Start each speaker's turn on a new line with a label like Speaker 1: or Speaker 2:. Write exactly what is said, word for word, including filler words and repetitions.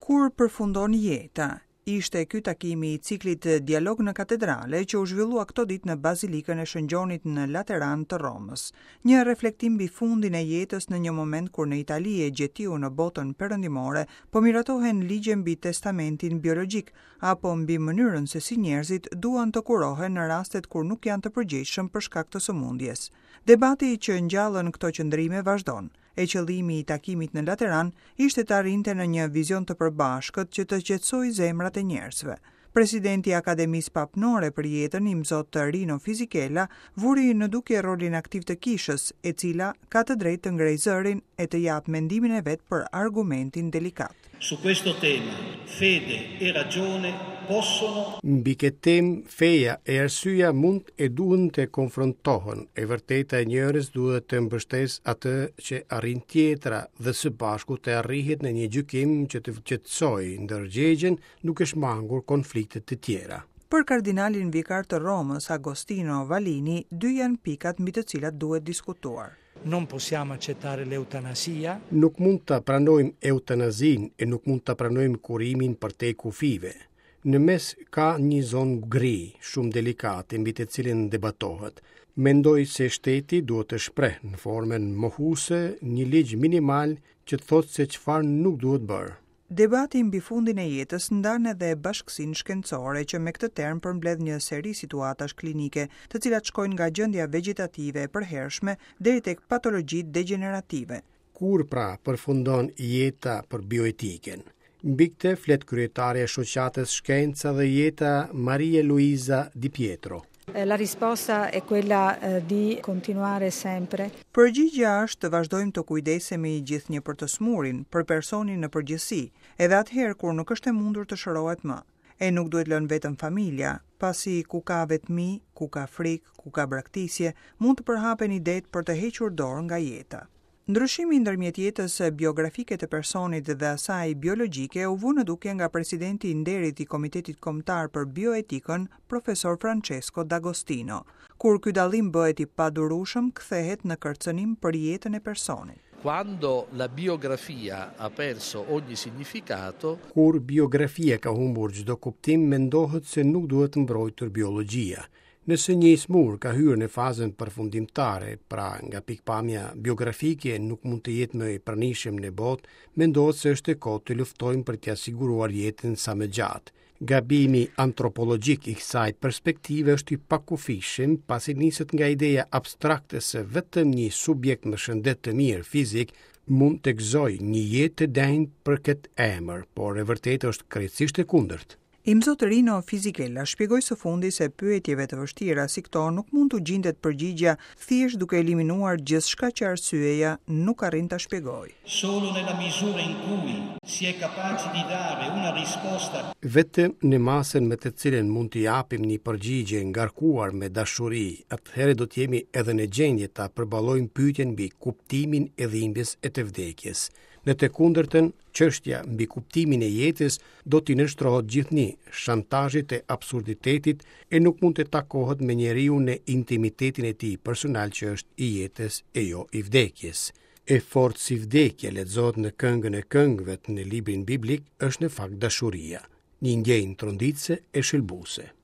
Speaker 1: Kur përfundon jeta? Ishte ky takimi i ciklit Dialog në Katedrale që u zhvillua këto ditë në Bazilikën e Shën Gjonit në Lateran të Romës. Një reflektim mbi fundin e jetës në një moment kur në Itali e gjetiu në botën perëndimore po miratohen ligje mbi testamentin biologjik apo mbi mënyrën se si njerëzit duan të kurohen në rastet kur nuk janë të përgjegjshëm për shkak të sëmundjes. Debati që ngjallën këto qëndrime vazhdon, e qëllimi i takimit në Lateran ishte të arrinte në një vizion të përbashkët që të qetësojë zemrat e njerëzve. Presidenti i Akademisë Papnore për Jetën, Imzot Rino Fisichella, vuri në dukje rolin aktiv të kishës, e cila ka të drejtë të ngrejë zërin e të japë mendimin e vet për argumentin delikat.
Speaker 2: Su questo tema, fede e ragione possono
Speaker 3: Mbi këtë temë, feja e arsyeja mund e duhen të konfrontohen. E vërteta e njërës duhet të mbështesë atë që arrin tjetra dhe së bashku të arrihet në një gjykim që të qetësojë ndërgjegjen, duke shmangur konflikte të tjera.
Speaker 1: Për kardinalin vikar të Romës, Agostino Vallini, dy janë pikat mbi të cilat duhet diskutuar.
Speaker 4: Non possiamo accettare l'eutanasia.
Speaker 3: Nuk mund ta pranojmë eutanazinë e nuk mund ta pranojmë kurimin përtej kufijve. Në mes ka një zonë gri, shumë delikate, mbi të cilën debatohet. Mendoj se shteti duhet të shpreh në formën mohuese një ligj minimal që thotë se çfarë nuk duhet bërë.
Speaker 1: Debati mbi fundin e jetës ndan edhe bashkësinë shkencore që me këtë term përmbledh një seri situatash klinike, të cilat shkojnë nga gjendja vegjetative e përhershme deri tek patologjitë degenerative.
Speaker 3: Kur pra përfundon jeta për bioetikën? Mbi këtë flet kryetarja e shoqatës Shkenca dhe Jeta, Maria Luisa Di Pietro.
Speaker 5: La risposta è quella di continuare sempre.
Speaker 1: Përgjigjja është të vazhdojmë të kujdesemi gjithnjë për të smurin, për personin në përgjithësi, edhe atëherë kur nuk është e mundur të shërohet më. E nuk duhet lënë vetëm familja, pasi ku ka vetmi, ku ka frikë, ku ka braktisje, mund të përhapen idetë për të hequr dorë nga jeta. Ndryshimi ndërmjet jetës biografike të personit dhe asaj biologjike u vu në dukje nga presidenti i nderit i Komitetit Kombëtar për Bioetikën, profesor Francesco D'Agostino. Kur ky dallim bëhet i padurueshëm, kthehet në kërcënim për jetën e personit.
Speaker 6: Quando la biografia ha perso ogni significato,
Speaker 3: Kur biografia ka humbur çdo kuptim, mendohet se nuk duhet mbrojtur biologjia. Nëse një i smur ka hyrë në fazën përfundimtare, pra nga pikpamja biografike nuk mund të jetë më i pranishëm në botë, mendohet se është e kotë të luftojmë për t'ia siguruar jetën sa më gjatë. Gabimi antropologjik i kësaj perspektive është i pakufishëm, pasi niset nga ideja abstrakte se vetëm një subjekt me shëndet të mirë fizik mund të gëzojë një jetë të denjë për këtë emër, por e vërtetë është krejtësisht e kundërt.
Speaker 1: Imzot Rino Fisichella shpjegoi së fundi se pyetjeve të vështira si këto nuk mund t'u gjendet përgjigjja thjesht duke eliminuar gjithçka që arsyeja nuk arrin ta shpjegojë.
Speaker 2: Solo nella misura in cui si è capaci di dare una risposta
Speaker 3: Vetëm në masën me të cilën mund të japim një përgjigje ngarkuar me dashuri, atëherë do të jemi edhe në gjendje ta përballojmë pyetjen mbi kuptimin e dhimbjes e të vdekjes. Në të kundërtën, çështja mbi kuptimin e jetës do t'i nënshtrohet gjithnjë shantazhit e absurditetit e nuk mund të takohet me njeriu në intimitetin e tij personal që është i jetës e jo i vdekjes. E fortë si vdekja lexohet në Këngën e Këngëve në librin biblik është në fakt dashuria, një ndjenjë tronditëse e shëlbuese.